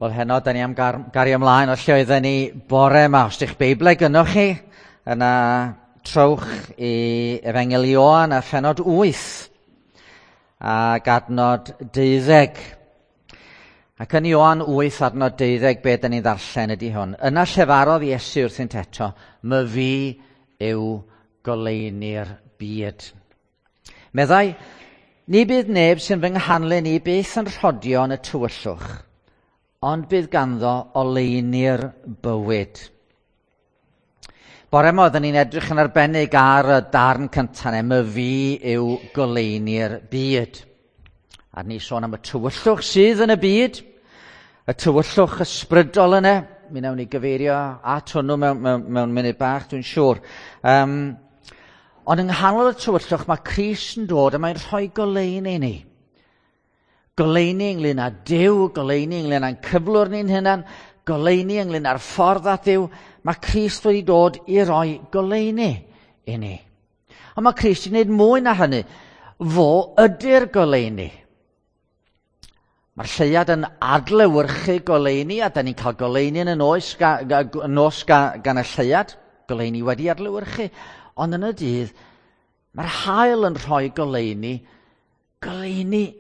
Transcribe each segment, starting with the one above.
Wel, heno, da ni am gario ymlaen o lle oedden ni bore yma. Os ydych Beiblau gynnoch chi, yna trowch i Efengyl Ioan a phenod 8 ac adnod 12. Ac yn Ioan 8 adnod 12, be da ni'n ddarllen ydy hwn. Yna llefarodd Iesu wrthynt eto, "My fi yw goleuni'r byd." Meddai, "Ni bydd neb sy'n fy nghanlyn i byth yn rhodio yn y tywyllwch, ond bydd ganddo oleuni'r bywyd." Bore yma oedden ni'n edrych yn arbennig ar y darn cyntaf neu "My fi yw goleuni'r byd." A ni sôn am y tywyllwch sydd yn y byd, y tywyllwch ysbrydol yna. Mi wnawn ni gyfeirio at hwnnw mewn munud bach, dwi'n siŵr. Ond yng nghanol y tywyllwch mae Crist yn dod a mae'n rhoi goleuni i ni. Goleuni ynglyn â Duw, goleuni ynglyn â'n cyflwr ni'n hunan, goleuni ynglyn â'r ffordd at Dduw. Mae Crist wedi dod i roi goleuni i ni. Ond mae Crist wedi gwneud mwy na hynny. Fo ydy'r goleuni. Mae'r lleuad yn adlewyrchu goleuni, a da ni'n cael goleuni yn y nos, nos gan y lleuad. Goleuni wedi adlewyrchu. Ond yn y dydd, mae'r haul yn rhoi goleuni. Goleuni.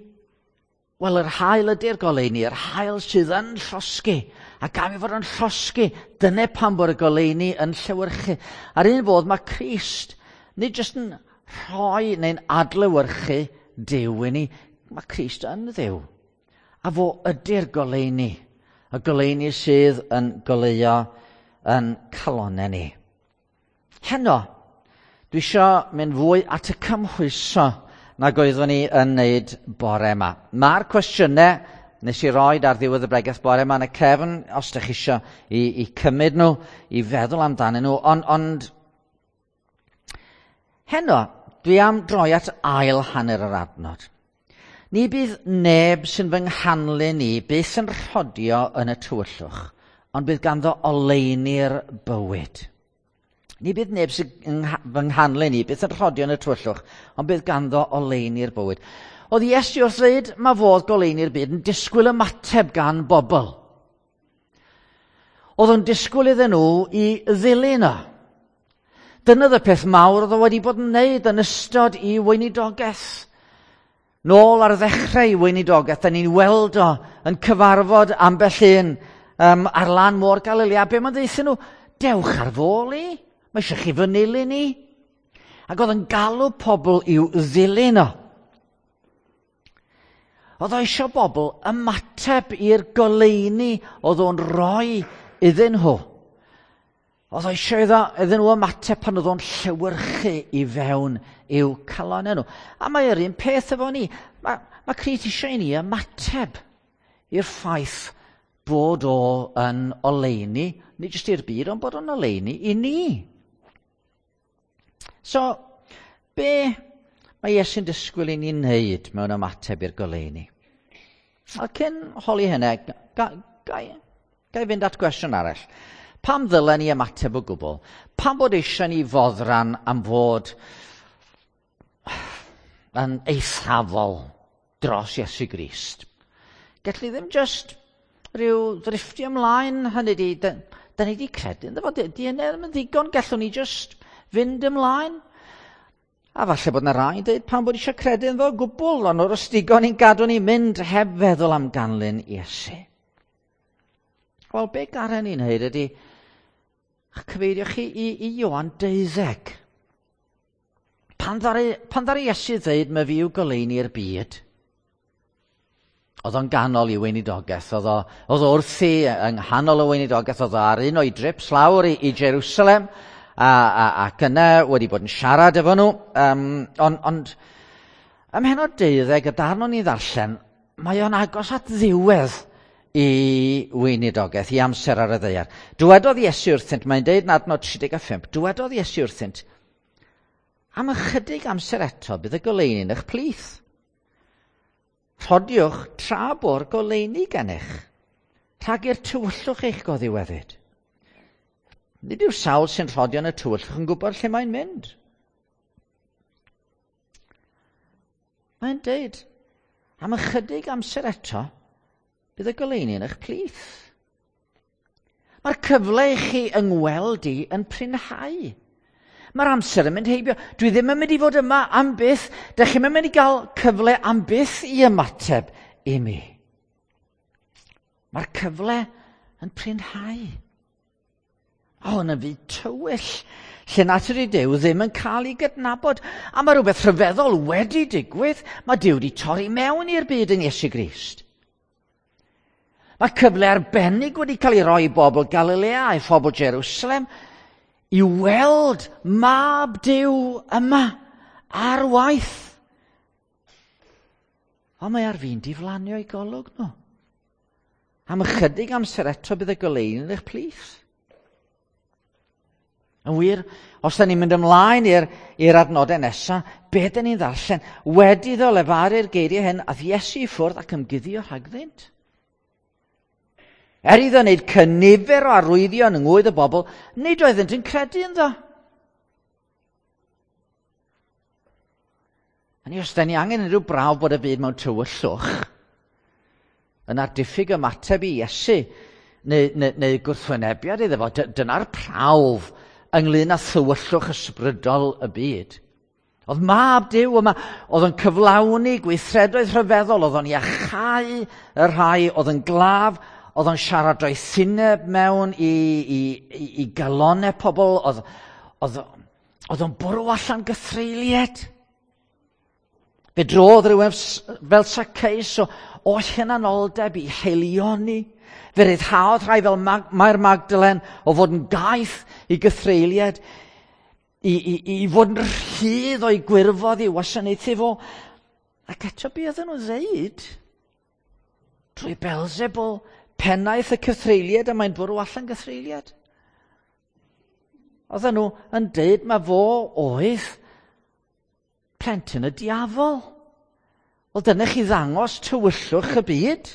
Wel, yr haul ydy'r goleuni, yr haul sydd yn llosgi. A gan i fod yn llosgi, dyna pam bod y goleuni yn llewyrchu. A'r un fodd mae Crist, nid jyst yn rhoi neu'n adlewyrchu Duw i ni, mae Crist yn Dduw. A fo ydy'r goleuni, y goleuni sydd yn goleuo yn calonnau ni. Heno, dwi isio mynd fwy at y cymhwyso nag oeddwn ni yn wneud bore yma. Mae'r cwestiynau nes i roed ar ddiwedd y bregeth bore yma yn y cefn, os ydych chi isio i cymryd nhw, i feddwl amdanyn nhw, ond heno, dwi am droi at ail hanner yr adnod. Ni bydd neb sy'n fy nghanlyn i byth yn rhodio yn y tywyllwch, ond bydd ganddo oleuni'r bywyd. Ni bydd neb sy'n fy nghanlyn i byth yn rhodio yn y tywyllwch, ond bydd ganddo oleuni'r bywyd. Oedd Iesu wrth ddweud mae fodd goleuni'r byd yn disgwyl ymateb gan bobl. Oedd o'n disgwyl iddyn nhw i ddilyn o. Dyna y peth mawr oedd o wedi bod yn wneud yn ystod i weinidogaeth. Nôl ar ddechrau i weinidogaeth, da ni'n weld o yn cyfarfod ambell un ar lan môr Galilea. Be mae'n ddeutha nhw? Dewch ar fôl i. Mae eisiau chi fy nilyn i. Ac oedd yn galw pobl i'w ddilyn o. Oedd o eisiau bobl ymateb i'r goleuni oedd o'n rhoi iddyn nhw. Oedd o eisiau iddyn nhw ymateb pan oedd o'n llewyrchu i fewn i'w calonnau nhw. A mae yr un peth efo ni. Mae Crist eisiau i ni ymateb i'r ffaith bod o yn oleuni, nid jyst i'r byd, ond bod o'n oleuni i ni. So, be mae Iesu'n disgwyl i ni wneud mewn ymateb i'r goleuni? A cyn holi hynny, ga i fynd at gwestiwn arall. Pam ddylen ni ymateb o gwbl? Pam bod eisiau ni foddran am fod yn eithafol dros Iesu Grist? Gelli ddim jyst rhyw ddrifftio ymlaen, hynny di, da ni di credu ynddo fo, di hynny ddim yn ddigon, gallwn ni jyst fynd ymlaen. A falle bod yna rai yn dweud pam bod eisiau credu ynddo fo gwbl, ond o'r ysdigon ni'n gadw ni mynd heb feddwl am ganlyn Iesu. Wel, be garen ni'n hyd ydy, cyfeirio chi i Ioan 12. Pan ddaru Iesu ddeud mae fi yw goleuni'r byd, oedd o'n ganol i weinidogaeth, oedd o wrthi yng nghanol y weinidogaeth, oedd o ar un o'i drips lawr i Jerusalem, ac yna wedi bod yn siarad efo nhw. Ond ym mhennod 12, y darn o'n i ddarllen, mae o'n agos at ddiwedd i weinidogaeth, i amser ar y ddaear. Dywedodd Iesu wrthynt, mae'n deud yn adnod 35, dywedodd Iesu wrthynt, am ychydig amser eto bydd y goleuni yn eich plith. Rhodiwch tra bo'r goleuni gennych, rhag i'r tywyllwch eich goddiweddyd. Nid yw'r sawl sy'n rhodio yn y tywyllwch yn gwybod lle mae'n mynd. Mae'n deud, am ychydig amser eto, Bydd y goleuni yn eich plith. Mae'r cyfle i chi yngweld i yn prinhau. Mae'r amser yn mynd heibio. Dwi ddim yn mynd i fod yma am byth. Dych chi'm yn mynd i gael cyfle am byth i ymateb i mi. Mae'r cyfle yn prinhau. O, yn y fyd tywyll, lle natur i Duw ddim yn cael ei gydnabod. A mae rhywbeth rhyfeddol wedi digwydd. Mae Duw wedi torri mewn i'r byd yn Iesu Grist. Mae cyfle arbennig wedi cael ei roi i bobl Galilea a'i phobl Jerusalem i weld mab Duw yma ar waith. Ond mae ar fin diflanio i golwg nhw. Am ychydig amser eto bydd y goleuni yn eich plith. Yn wir, os da ni'n mynd ymlaen i'r adnodau nesaf, be da ni'n ddarllen? Wedi iddo lefaru'r geiriau hyn, ath Iesu i ffwrdd ac ymguddio rhagddynt. Er iddo wneud cynifer o arwyddion yng ngwydd y bobl, nid oeddynt yn credu ynddo. Hynny os da ni angen unrhyw brawf bod y byd mewn tywyllwch, yna'r diffyg ymateb i Iesu neu gwrthwynebiad iddo fo, dyna'r prawf ynglyn â thywyllwch ysbrydol y byd. Oedd mab Duw yma, oedd yn cyflawni gweithredoedd rhyfeddol, oedd o'n iachau y rhai oedd yn glaf, oedd o'n siarad doethineb mewn i galonau pobl, oedd o'n bwrw allan gythreuliad. Fe drodd rhywun fel Zacchaeus o hunanoldeb i haelioni. Fe ryddhaodd rhai fel Mair Magdalen o fod yn gaeth i gythreuliad, i fod yn rhydd o'i gwirfodd i wasanaethu fo. Ac eto be oedden nhw'n ddeud? Drwy Beelzebul, pennaeth y cythreuliad, a mae'n bwrw allan gythreuliad. Oedden nhw yn deud ma fo oedd plentyn y diafol. Wel, dyna chi ddangos tywyllwch y byd.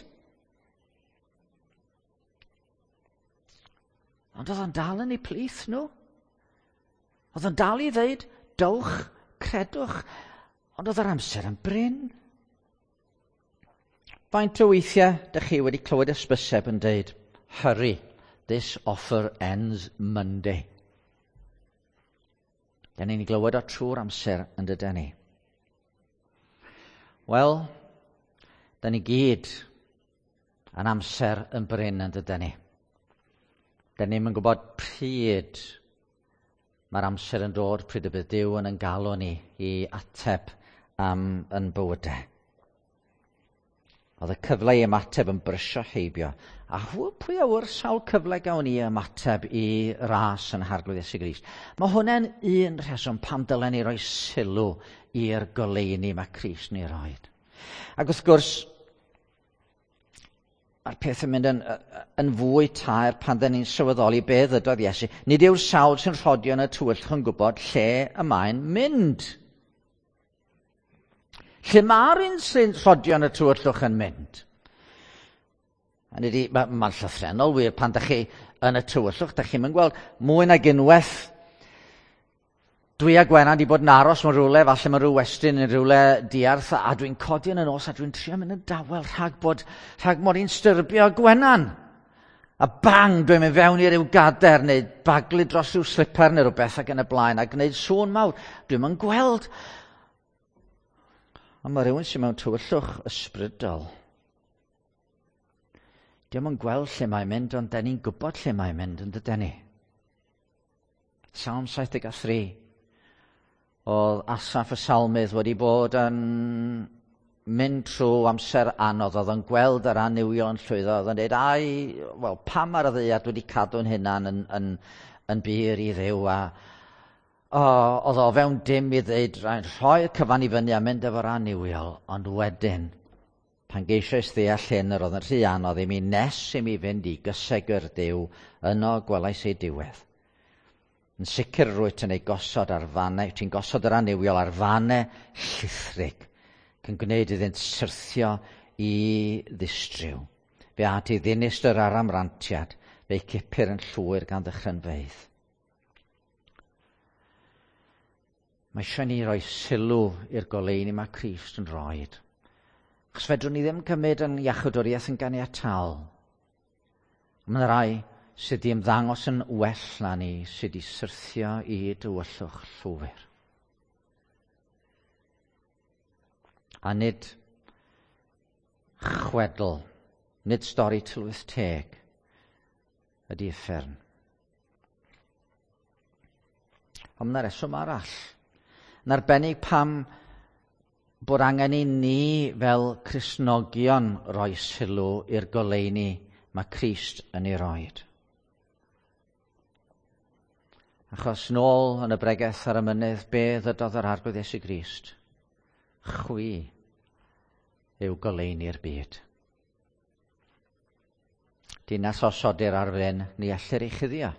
Ond oedd o'n dal yn eu plith nhw. Oedd o'n dal i ddeud, dowch, credwch. Ond oedd yr amser yn brin. Faint o weithiau dych chi wedi clywed ysbyseb yn deud, hurry, this offer ends Monday. Da ni'n ei glywed o trwy'r amser yn dydan ni. Wel, da ni gyd yn amser yn brin yn dydan ni. Da ni'm yn gwybod pryd mae'r amser yn dod, pryd y bydd Duw yn ein galw ni i ateb am yn bywydau. Oedd y cyfle i ymateb yn brysio heibio. A pwy a ŵyr sawl cyfle gawn ni ymateb i ras yn Harglwydd Iesu Grist. Mae hwnna'n un rheswm pam dylen ni roi sylw i'r goleuni mae Crist ni roed. Ac wrth gwrs, mae'r peth yn mynd yn fwy taer pan dyn ni'n sylweddoli be ddydodd Iesu. Nid yw'r sawl sy'n rhodio yn y tywyllwch yn gwybod lle y mae'n mynd. Lle mae'r un sy'n rhodio yn y tywyllwch yn mynd? Hynny ydi, mae'n llythrennol wir pan dych chi yn y tywyllwch, dych chi'm yn gweld mwy nag unwaith. Dwi a Gwenan di bod yn aros mewn rhywle, falle mewn rhyw westy neu rhywle diarth, a dwi'n codi yn y nos a dwi'n trio mynd yn dawel rhag mod i'n styrbio Gwenan. A bang, dwi'n mynd fewn i ryw gader neu baglu dros ryw slipper neu rhywbeth ac yn y blaen a gwneud sŵn mawr. Dwi'm yn gweld. Ond mae rhywun sy'n mewn tywyllwch ysbrydol. Dio'm yn gweld lle mae'n mynd, ond da ni'n gwybod lle mae'n mynd, yn dyden ni? Salm 73. Oedd Asaph y salmydd wedi bod yn mynd trwy amser anodd, oedd yn gweld yr annuwiol yn llwyddo, oedd yn dweud, ai, wel, pam ar y ddaear dwi wedi cadw'n hunan yn bur i Dduw, a oedd o fewn dim i ddeud, rhaid rhoi'r cyfan i fyny a mynd efo'r annuwiol, ond wedyn, pan geisiais ddeall hyn, yr oedd yn rhy anodd i mi nes i mi fynd i gysegr Duw, yno gwelais ei diwedd. Yn sicr rwyt yn ei gosod ar fannau, ti'n gosod yr annuwiol ar fannau llithrig, ac yn gwneud iddynt syrthio i ddistryw. Fe at i ddinistr ar amrantiad, fe'i cipir yn llwyr gan ddychrynfeydd. Mae eisiau ni roi sylw i'r goleuni mae Crist yn roed. Achos fedrwn ni ddim cymryd yn iachawdwriaeth yn ganiataol. Mae yna rai sydd wedi ymddangos yn well na ni, sydd wedi syrthio i dywyllwch llwyr. A nid chwedl, nid stori tylwyth teg ydy uffern. Ond mae yna reswm arall. Yn arbennig pam bod angen i ni fel Cristnogion roi sylw i'r goleuni mae Crist yn ei roed. Achos nôl yn y bregeth ar y mynydd, be ddydodd yr Arglwydd Iesu Grist? Chwi yw goleuni'r byd. Dinas osodir ar fryn, ni ellir ei chuddio.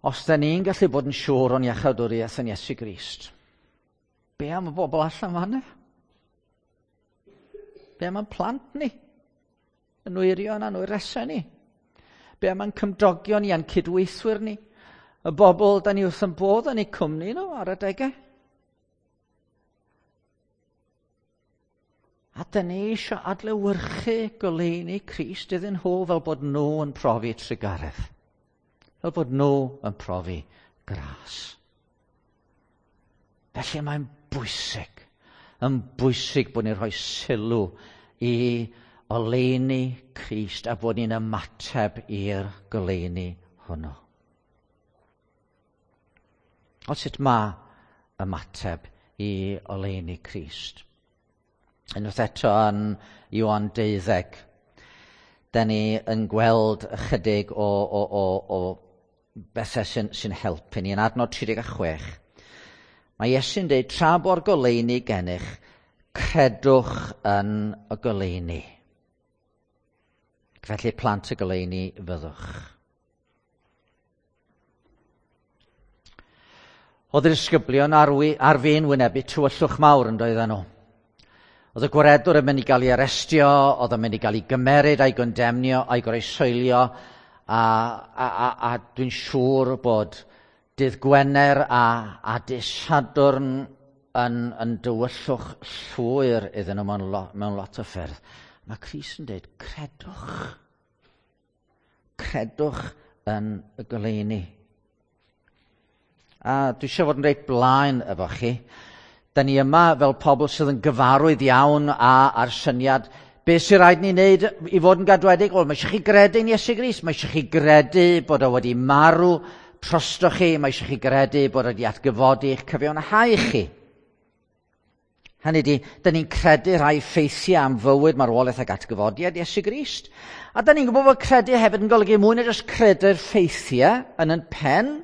Os da ni'n gallu bod yn siŵr o'n iachawdwriaeth yn Iesu Grist, be am y bobl allan fanna? Be am y plant ni? Y nwyrion a'n wyresau ni? Be am ein cymdogion ni a'n cydweithwyr ni? Y bobl da ni wrth yn bodd yn eu cwmni nhw ar adegau? A da ni eisiau adlewyrchu goleuni Crist iddyn nhw fel bod nhw yn profi trugaredd. Fel bod nhw yn profi gras. Felly mae'n bwysig, yn bwysig bod ni'n rhoi sylw i oleuni Crist a bod ni'n ymateb i'r goleuni hwnnw. Ond sut mae ymateb i oleuni Crist? Unwaith eto yn Ioan 12, da ni yn gweld ychydig o bethau sy'n helpu ni. Yn adnod 36, mae Iesu'n dweud, tra bo'r goleuni gennych, credwch yn y goleuni. Felly plant y goleuni fyddwch. Oedd yr disgyblion ar fin wynebu tywyllwch mawr yn doedden nhw. Oedd y gwaredwr yn mynd i gael ei arestio, oedd yn mynd i gael ei gymeryd a'i gondemnio a'i groesoelio, a dwi'n siŵr bod dydd Gwener a dydd Sadwrn yn dywyllwch llwyr iddyn nhw mewn lot o ffyrdd. Mae Crist yn dweud, credwch. Credwch yn y goleuni. A dwi eisiau fod yn reit blaen efo chi. Da ni yma fel pobl sydd yn gyfarwydd iawn a'r syniad, beth sy'n rhaid ni wneud i fod yn gadwedig? Wel, mae eisiau chi gredu yn Iesu Grist, mae eisiau chi gredu bod o wedi marw drostoch chi, mae eisiau chi gredu bod o wedi atgyfodi eich cyfiawnhau chi. Hynny ydi, da ni'n credu rhai ffeithiau am fywyd, marwolaeth ac atgyfodiad Iesu Grist. A da ni'n gwybod bod credu hefyd yn golygu mwy na jyst credu'r ffeithiau yn yn pen,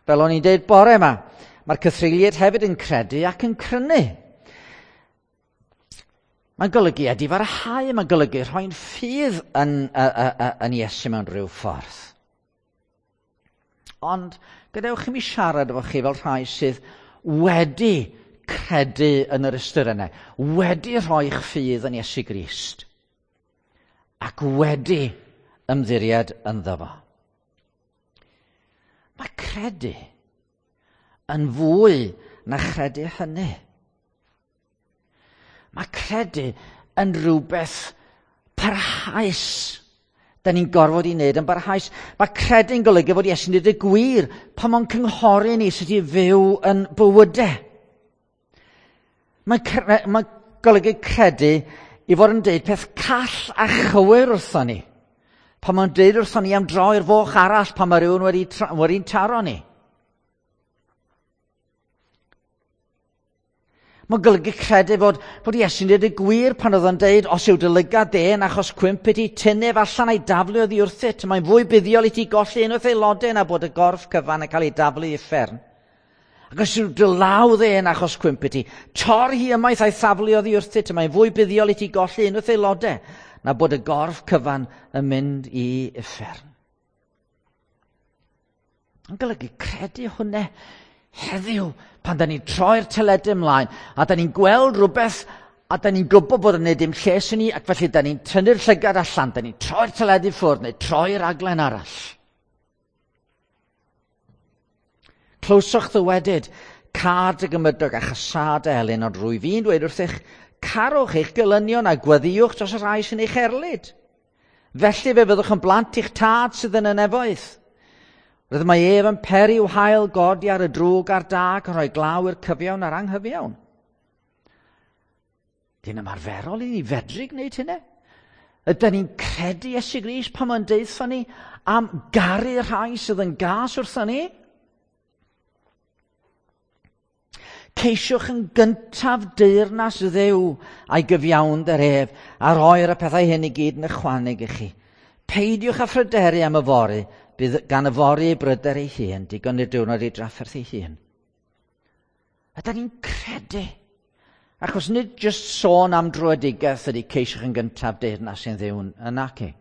fel o'n i'n deud bore yma. Mae'r cythreuliaid hefyd yn credu ac yn crynu. Mae'n golygu edifarhau, mae'n golygu rhoi'n ffydd yn Iesu mewn rhyw ffordd. Ond gadewch i mi siarad efo chi fel rhai sydd wedi credu yn yr ystyr yna, wedi rhoi'ch ffydd yn Iesu Grist ac wedi ymddiried ynddo fo. Mae credu yn fwy na chredu hynny. Mae credu yn rhywbeth parhaus. Da ni'n gorfod i wneud yn barhaus. Mae credu'n golygu fod Iesu'n dweud y gwir pan mae'n cynghori ni sut i fyw yn bywydau. Mae golygu credu i fod yn deud peth call a chywir wrthon ni. Pan mae'n deud wrthon ni am droi'r foch arall pan mae rhywun wedi'n taro ni. Mae'n golygu credu fod Iesu'n dweud y gwir pan oedd o'n deud, os yw dy lygad de yn achos cwymp i ti, tynnu ef allan a'i daflu oddi wrthyt. Mae'n fwy buddiol i ti golli un wrth aelodau na bod y gorff cyfan yn cael ei daflu i uffern. Ac os yw dy law dde yn achos cwymp i ti, tor hi ymaith a'i thaflu oddi wrthyt. Mae'n fwy buddiol i ti golli un wrth aelodau na bod y gorff cyfan yn mynd i uffern. Mae'n golygu credu hwnna heddiw, pan da ni'n troi'r teledu ymlaen, a da ni'n gweld rhywbeth, a da ni'n gwybod bod yn gwneud dim lles i ni, ac felly da ni'n tynnu'r llygad allan, da ni'n troi'r teledu ffwrdd, neu troi'r raglen arall. Clywsoch ddywedyd, Cad y gymydog a chasad y elyn, ond rwy fi'n dweud wrthych, carwch eich gelynion a gweddïwch dros y rhai sy'n eich erlid. Felly fe fyddwch yn blant i'ch tad sydd yn y nefoedd. Roedd mae ef yn peri i'w hael godi ar y drwg a'r da ac yn rhoi glaw i'r cyfiawn a'r anghyfiawn. Dyn ymarferol i ni fedru gwneud hynny. Ydyn ni'n credu Iesu Grist pan mae'n deutha ni am garu rhai sydd yn gas wrtho ni? Ceisiwch yn gyntaf deyrnas Dduw a'i gyfiawnder ef, a roi'r y pethau hyn i gyd yn ychwaneg i chi. Peidiwch â phryderu am yfory, bydd gan yfory ei bryder ei hun, digon i'r diwrnod ei drafferth ei hun. Ydyn ni'n credu? Achos nid jyst sôn am dröedigaeth ydy ceisiwch yn gyntaf deyrnas sy'n Dduw yn naci.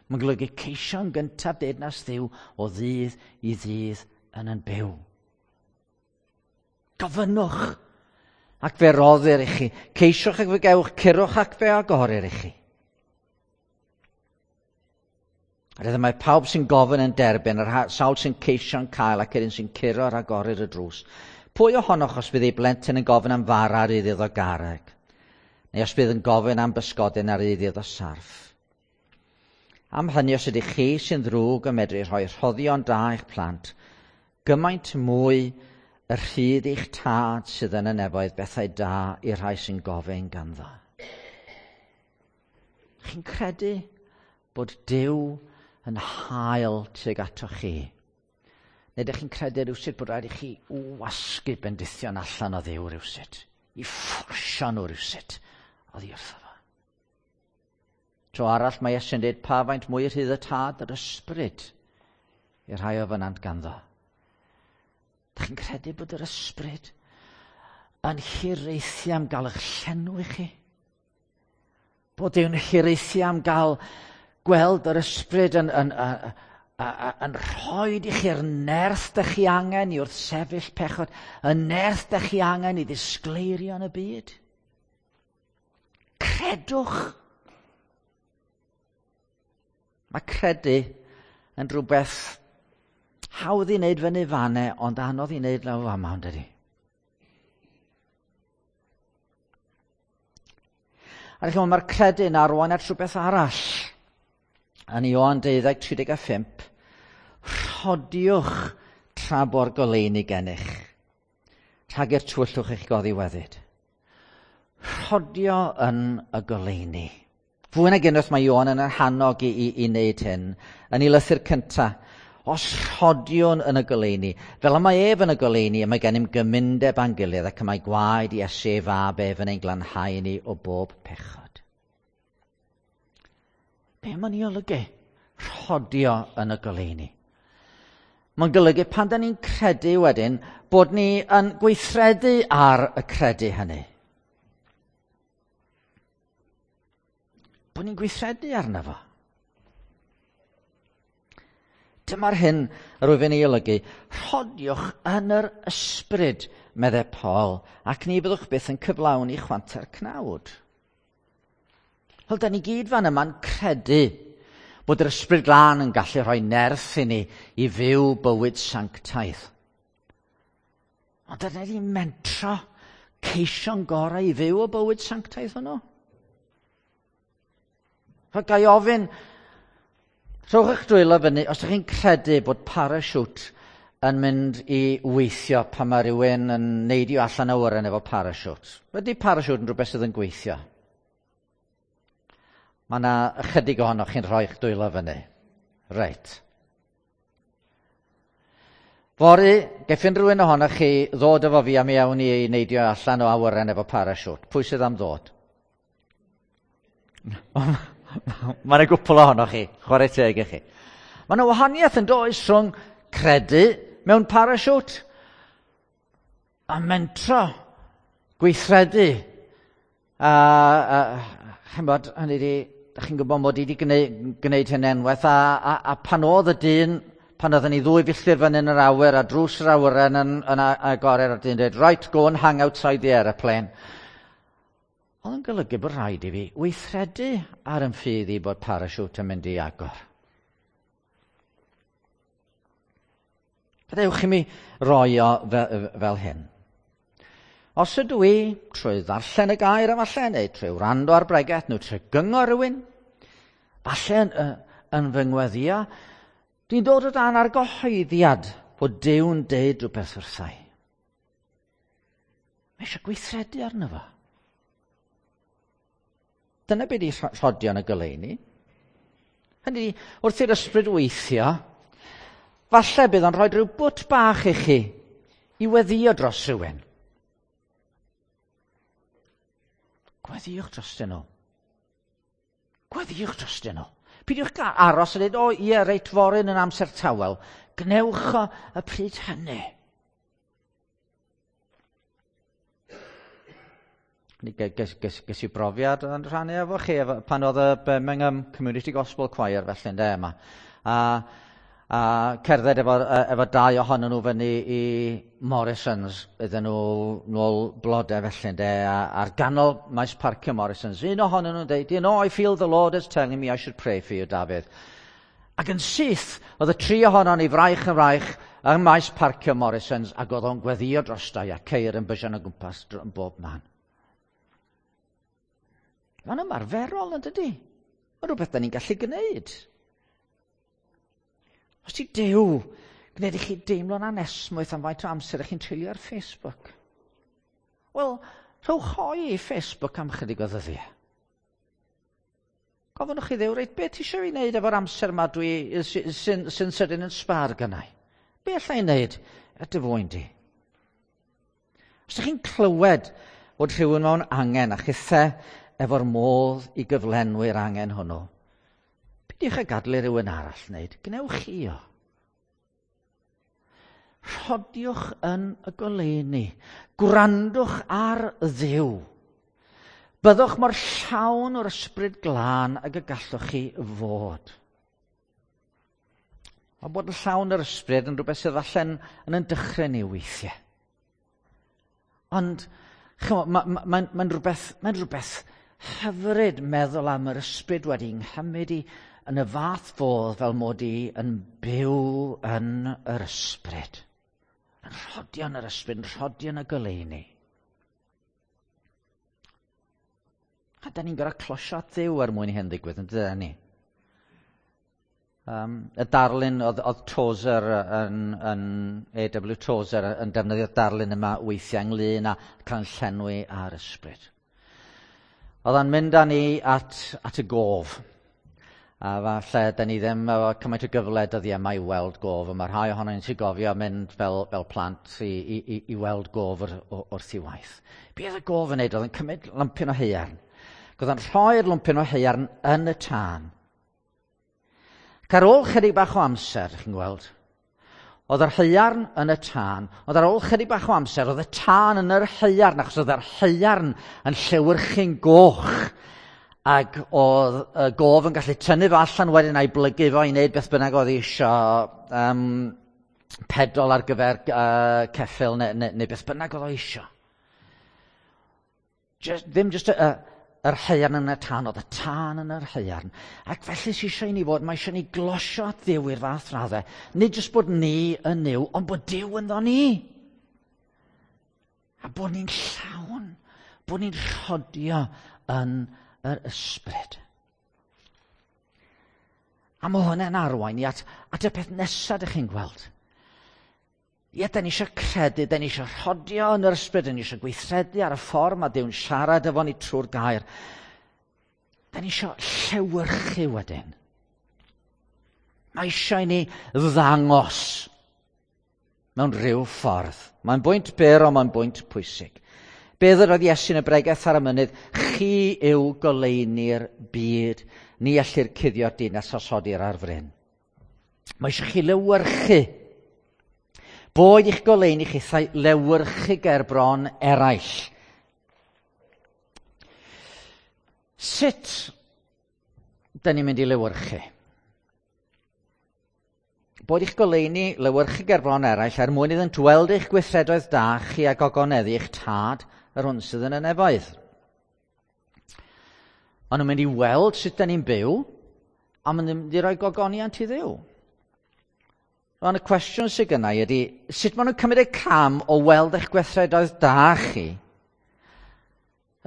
Mae'n golygu ceisio yn gyntaf deyrnas Dduw o ddydd i ddydd yn yn byw. Gofynnwch ac fe roddir i chi. Ceisiwch ac fe gewch, curwch ac fe agorir i chi. A mae pawb sy'n gofyn yn derbyn, yr sawl sy'n ceisio'n cael ac yr un sy'n curo ar agorir y drws. Pwy ohonoch os bydd ei blentyn yn gofyn am fara ar iddo garreg? Neu os bydd yn gofyn am bysgodyn ar iddo sarff? Am hynny, os ydych chi sy'n ddrwg yn medru rhoi rhoddion da i'ch plant, gymaint mwy y rhydd eich tad sydd yn y nefoedd bethau da i'r rhai sy'n gofyn ganddo. Chi'n credu bod Duw yn hael tuag atoch chi? Neu ydych chi'n credu rhywsut bod rhaid i chi wasgu bendithion allan o Dduw rhywsut, i fforsio nhw rhywsut oddi wrtho fo? Tro arall mae Iesu'n dweud pa faint mwy rhydd y tad yr ysbryd i'r rhai o fynant ganddo. Dych chi'n credu bod yr ysbryd yn hiraethu am gael eich llenwi chi? Bod Duw'n hiraethu am gael gweld yr ysbryd yn, yn, yn, yn rhoi i chi'r nerth dych chi angen i wrthsefyll pechod, y nerth dych chi angen i ddisgleirio yn y byd. Credwch. Mae credu yn rhywbeth hawdd i wneud fyny fanne, ond anodd i wneud lawr fama, ond ydy. A chi'n mae'r credu'n arwain at rhywbeth arall. Yn Ioan 12:35, rhodiwch tra bo'r goleuni gennych, rhag i'r tywyllwch eich goddiweddyd. Rhodio yn y goleuni. Fwy nag unwaith mae Ioan yn yr hannog i, i, i wneud hyn, yn ei lythyr cyntaf. Os rhodiwn yn y goleuni, fel y mae ef yn y goleuni, y mae gennym gymundeb â'n gilydd ac y mae gwaed Iesu ei fab ef yn ein glanhau ni o bob pechod. Be mae'n ei olygu? Rhodio yn y goleuni. Mae'n golygu pan da ni'n credu wedyn bod ni yn gweithredu ar y credu hynny. Bod ni'n gweithredu arno fo. Dyma'r hyn yr wyf yn ei olygu. Rhodiwch yn yr ysbryd, meddai Paul, ac ni byddwch byth yn cyflawni chwanta'r cnawd. Wel, da ni gyd fan yma'n credu bod yr ysbryd glân yn gallu rhoi nerth i ni i fyw bywyd sanctaidd. Ond dyna ni mentro ceisio'n gorau i fyw y bywyd sanctaidd hwnnw. Rhaid gai ofyn, rhowch eich dwylo fyny os ydych chi'n credu bod parachute yn mynd i weithio pan mae rhywun yn neidio allan o awyren efo parachute. Ydy parachute yn rhywbeth sydd yn gweithio? Mae yna ychydig ohonoch chi'n rhoi eich dwylo fyny. Reit. Fory, geiff unrhyw un ohonoch chi ddod efo fi am iawn i neidio allan o awyren efo parachute. Pwy sydd am ddod? Mae yna gwpl ohonoch chi, chwarae teg i chi. Mae yna wahaniaeth yn does rhwng credu mewn parachute a mentro, gweithredu. A, a chymod, hynny di, da chi'n gwybod mod i wedi gwneud, gwneud hyn enwaith, a, a, a pan oedd y dyn, pan oedden ni ddwy filltir fan yn yr awyr, a drws yr awyren yn, yn agored, a'r dyn dweud, right, go and hang outside the aeroplane. Oedd yn golygu bod rhaid i fi weithredu ar yn ffydd i bod parachute yn mynd i agor. Gadewch i mi roi o fel, fel hyn. Os ydw i, trwy ddarllen y gair efallai, neu trwy wrando ar bregeth, neu trwy gyngor rhywun, falle yn fy ngweddio, dwi'n dod o dan argyhoeddiad bod Duw'n deud rhywbeth wrthai. Mae eisiau gweithredu arno fo. Dyna beth i rhodio yn y goleuni. Hynny, wrth i'r ysbryd weithio, falle bydd o'n rhoi rhyw bwt bach i chi i weddio dros rhywun. Gweddiwch drostyn nhw. Gweddiwch drostyn nhw. Peidiwch aros a dweud, o ie, reit fory yn amser tawel. Gnewch o y pryd hynny. Ges i brofiad yn rhannu efo chi pan oedd y Birmingham Community Gospel Choir felly ynde yma. A cerdded efo dau ohonyn nhw fyny i Morrison's iddyn nhw nôl blodau felly ynde, a ar ganol maes parcio Morrison's. Un ohonyn nhw'n dweud, "You know, I feel the Lord is telling me I should pray for you, David." Ac yn syth, oedd y tri ohonon ni fraich yn fraich ym maes parcio Morrison's ac oedd o'n gweddio drostai a ceir yn bysian o gwmpas yn bob man. Mae'n ymarferol yn dydy? Mae'n rhywbeth da ni'n gallu gwneud. Os ti Duw, gwneud i chi deimlo'n anesmwyth am faint o amser ych chi'n treulio ar Facebook. Wel, rhowch hoe i Facebook am chydig o ddyddiau. Gofynnwch i Dduw, reit, beth ti eisiau fi wneud efo'r amser yma dwi sy'n sydyn yn sbar gynnau? Be allai i wneud er dy fwyn di? Os ydych chi'n clywed bod rhywun mewn angen a chithe efo'r modd i gyflenwi'r angen hwnnw, peidiwch â gadael i rywun arall wneud, gwnewch chi o. Rhodiwch yn y goleuni, gwrandwch ar Dduw. Byddwch mor llawn o'r ysbryd glân ag y gallwch chi fod. Mae bod yn llawn o'r ysbryd yn rhywbeth sydd allan yn dychryn ni weithiau. Ond mae'n rhywbeth hyfryd meddwl am yr ysbryd wedi nghymryd i yn y fath fodd fel mod i yn byw yn yr ysbryd. Yn rhodio yn yr ysbryd, yn rhodio yn y goleuni. A da ni'n gorfod closio at Dduw er mwyn i hyn ddigwydd, yn dydyn ni? Y darlun oedd Tozer yn A.W. Tozer yn defnyddio'r darlun yma weithiau ynglyn â cael llenwi ar ysbryd. Oedd o'n mynd â ni at y gof. A falle, da ni ddim efo cymaint o gyfle dyddiau yma i weld gof. A mae rhai ohono ni'n sy'n gofio mynd fel plant i weld gof wrth i waith. Be oedd y gof yn neud? Oedd yn cymryd lwmpyn o haearn. Oedd yn rhoi'r lwmpyn o haearn yn y tân. Ac ar ôl chydig bach o amser, chi'n gweld, oedd yr haearn yn y tân, ond ar ôl chydig bach o amser, oedd y tân yn yr haearn, achos oedd yr haearn yn llewyrchu'n goch, ac oedd y gof yn gallu tynnu fo allan wedyn a'i blygu fo i wneud beth bynnag oedd eisiau, pedol ar gyfer ceffyl neu beth bynnag oedd o eisiau. Ddim just yr haearn yn y tân, oedd y tân yn yr haearn. Ac felly sy'n eisiau i ni fod, mae eisiau ni glosio at Dduw i'r fath raddau. Nid jyst bod ni yn Nuw, ond bod Duw ynddo ni. A bod ni'n llawn, bod ni'n rhodio yn yr ysbryd. A mae hwnna'n arwain i at y peth nesaf ydych chi'n gweld. Ie, da ni eisiau credu, da ni eisiau rhodio yn yr ysbryd, da ni eisiau gweithredu ar y ffordd mae Duw'n siarad efo ni trwy'r gair. Da ni eisiau llewyrchu wedyn. Mae eisiau i ni ddangos mewn rhyw ffordd. Mae'n bwynt byr, ond mae'n bwynt pwysig. Be ddywedodd Iesu yn y bregeth ar y mynydd? Chi yw goleuni'r byd. Ni ellir cuddio'r dinas os odir ar fryn. Mae eisiau chi lewyrchu. Boed i'ch goleuni chithau lewyrchu ger bron eraill. Sut da ni'n mynd i lewyrchu? Boed i'ch goleuni lewyrchu ger bron eraill er mwyn iddynt weld eich gweithredoedd da chi a gogoneddu eich tad yr hwn sydd yn y nefoedd. Maen nhw'n mynd i weld sut da ni'n byw, a maen nhw'n mynd i roi gogoniant i Dduw. Rwan, y cwestiwn sydd gynna i ydy, sut maen nhw'n cymryd y cam o weld eich gweithredoedd da chi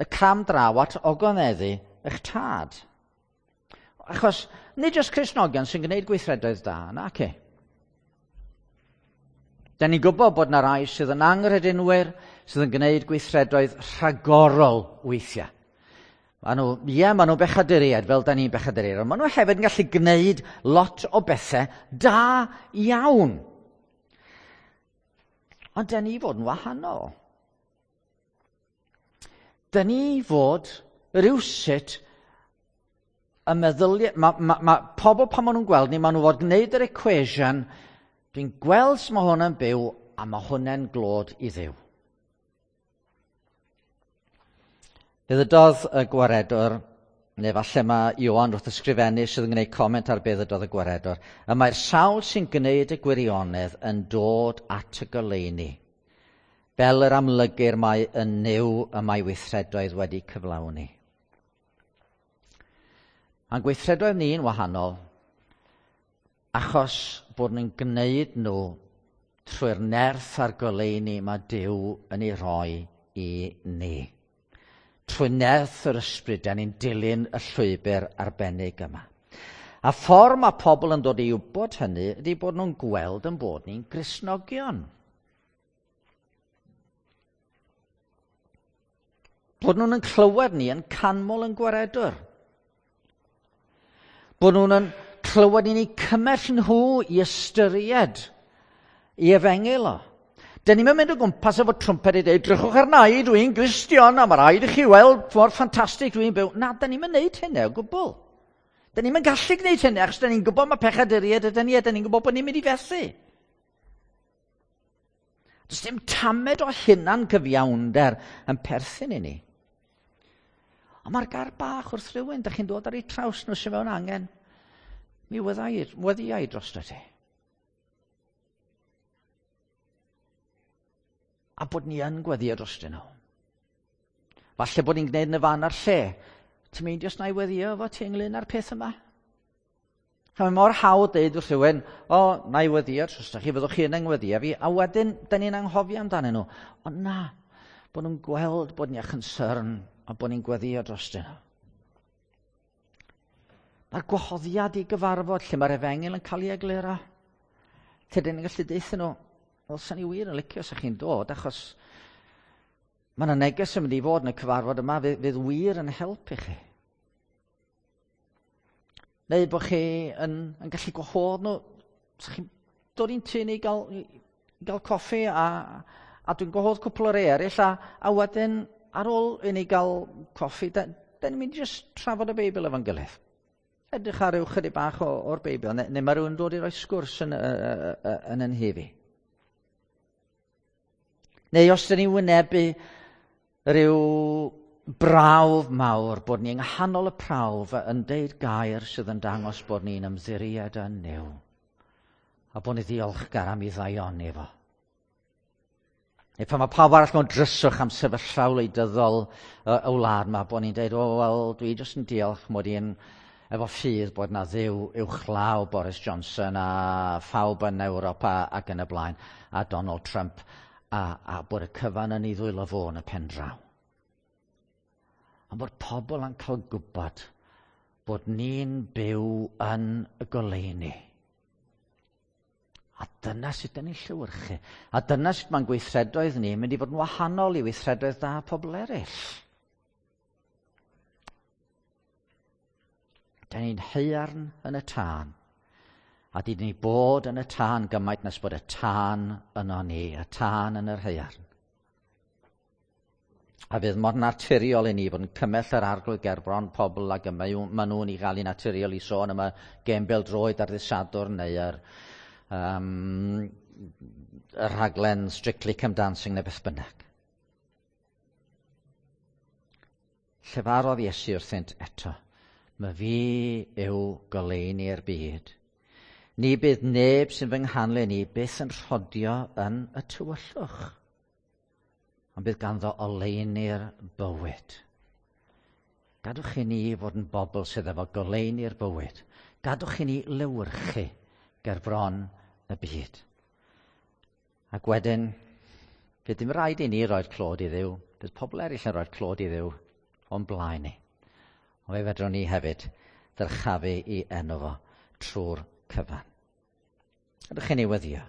Y cam draw at ogoneddu eich tad. Achos nid jyst Cristnogion sy'n gwneud gweithredoedd da, naci. Da ni'n gwybod bod yna rai sydd yn anghredinwyr, sydd yn gwneud gweithredoedd rhagorol weithiau. Maen nhw, ie, maen nhw'n bechaduriaid, fel da ni'n bechaduriaid, ond maen nhw hefyd yn gallu gwneud lot o bethau da iawn. Ond da ni fod yn wahanol. Da ni fod rywsut y meddyliau... Mae ma, ma pobl pan maen nhw'n gweld ni, maen nhw fod gwneud yr equation, dwi'n gweld sut mae hwn yn byw, a mae hwnna'n glod i Dduw. Fe ddydodd y gwaredwr, neu falle mae Ioan wrth ysgrifennu sydd yn gwneud comment ar be ddydodd y gwaredwr, y mae'r sawl sy'n gwneud y gwirionedd yn dod at y goleuni, fel yr amlygir mae yn Nuw y mae weithredoedd wedi cyflawni. Mae'n gweithredoedd ni'n wahanol, achos bod ni'n gwneud nhw trwy'r nerth a'r goleuni mae Duw yn ei rhoi i ni. Trwy nerth yr ysbryd, da ni'n dilyn y llwybr arbennig yma. A ffordd mae pobl yn dod i wybod hynny ydy bod nhw'n gweld yn bod ni'n Gristnogion. Bod nhw'n clywed ni yn canmol yn gwaredwr. Bod nhw'n yn clywed ni'n eu cymell nhw i ystyried i efengyl o. Dyn ni'n mynd o gwmpas efo trwmped i dweud, drychwch arna i, dwi'n Gristion, a mae rhaid i chi weld mor ffantastig dwi'n byw. Na, dyn ni'n mynd hynny o gwbl. Dyn ni'n gallu gwneud hynny, achos dyn ni'n gwybod mae pechaduriaid ydyn ni, a dyn ni'n gwybod bod ni'n mynd i fethu. Does dim tamed o hunan cyfiawnder yn perthyn i ni. Ond mae'r gair bach wrth rhywun, dych chi'n dod ar eu traws nhw sy'n mewn angen. Mi weddïau drosto ti. A bod ni yn gweddio drostyn nhw. Falle bod ni'n gwneud yn y fan a'r lle. Ti'n meindio os na i weddio efo ti ynglyn â'r peth yma? Mae mor hawdd deud wrth rhywun, o, na i weddio drosto chi, fyddwch chi yn yngweddio fi, a wedyn, da ni'n anghofio amdanyn nhw. Ond na, bod nhw'n gweld bod ni â concern a bod ni'n gweddio drostyn nhw. Mae'r gwahoddiad i gyfarfod lle mae'r efengyl yn cael ei egluro. Lle dyn ni'n gallu deutha nhw, wel, sa'n ni wir yn licio sa chi'n dod, achos mae yna neges yn mynd i fod yn y cyfarfod yma, fydd wir yn helpu chi. Neu bod chi yn gallu gwahodd nhw, sa chi'n dod i'n tŷ ni i gael coffi, a dwi'n gwahodd cwpl o rei eraill, a wedyn ar ôl i ni gael coffi, da ni'n mynd i just trafod y Beibl efo'n gilydd. Edrych ar ryw chydig bach o'r Beibl, neu mae rhywun dod i roi sgwrs yn yn nhŷ fi. Neu os dyn ni'n wynebu rhyw brawf mawr, bod ni yng nghanol y prawf yn deud gair sydd yn dangos bod ni'n ymddiried yn Nuw, a bod ni ddiolchgar am ei ddaioni fo. Neu pan mae pawb arall mewn dryswch am sefyllfa wleidyddol y wlad yma, bod ni'n deud, o, wel, dwi jyst yn diolch mod i'n efo ffydd bod na Dduw uwchlaw Boris Johnson a phawb yn Ewrop ac yn y blaen, a Donald Trump, a bod y cyfan yn ei ddwylo fo yn y pen draw. Ond bod pobl yn cael gwybod bod ni'n byw yn y goleuni. A dyna sut dyn ni'n llewyrchu. A dyna sut mae'n gweithredoedd ni mynd i fod yn wahanol i weithredoedd da pobl eraill. Dyn ni'n haearn yn y tân. A dyn ni bod yn y tân gymaint nes bod y tân yno ni, y tân yn yr haearn. A fydd mor naturiol i ni fod yn cymell yr arglwydd gerbron pobl ag y maen nhw'n ei gael i naturiol i sôn am y gêm bêl-droed ar ddydd Sadwrn neu yr rhaglen Strictly Come Dancing neu beth bynnag. Llefarodd Iesu wrthynt eto, "My fi yw goleuni'r byd. Ni bydd neb sy'n fy nghanlyn i byth yn rhodio yn y tywyllwch, ond bydd ganddo oleuni'r bywyd." Gadwch i ni fod yn bobl sydd efo goleuni'r bywyd. Gadwch i ni lewyrchu ger bron y byd. Ac wedyn, fydd dim rhaid i ni roi'r clod i Dduw. Bydd pobl eraill yn roi'r clod i Dduw. o'n blaen ni. Ond fe fedrwn ni hefyd ddyrchafu i enw fo trwy'r cyfan. Ydych chi'n ei weddio?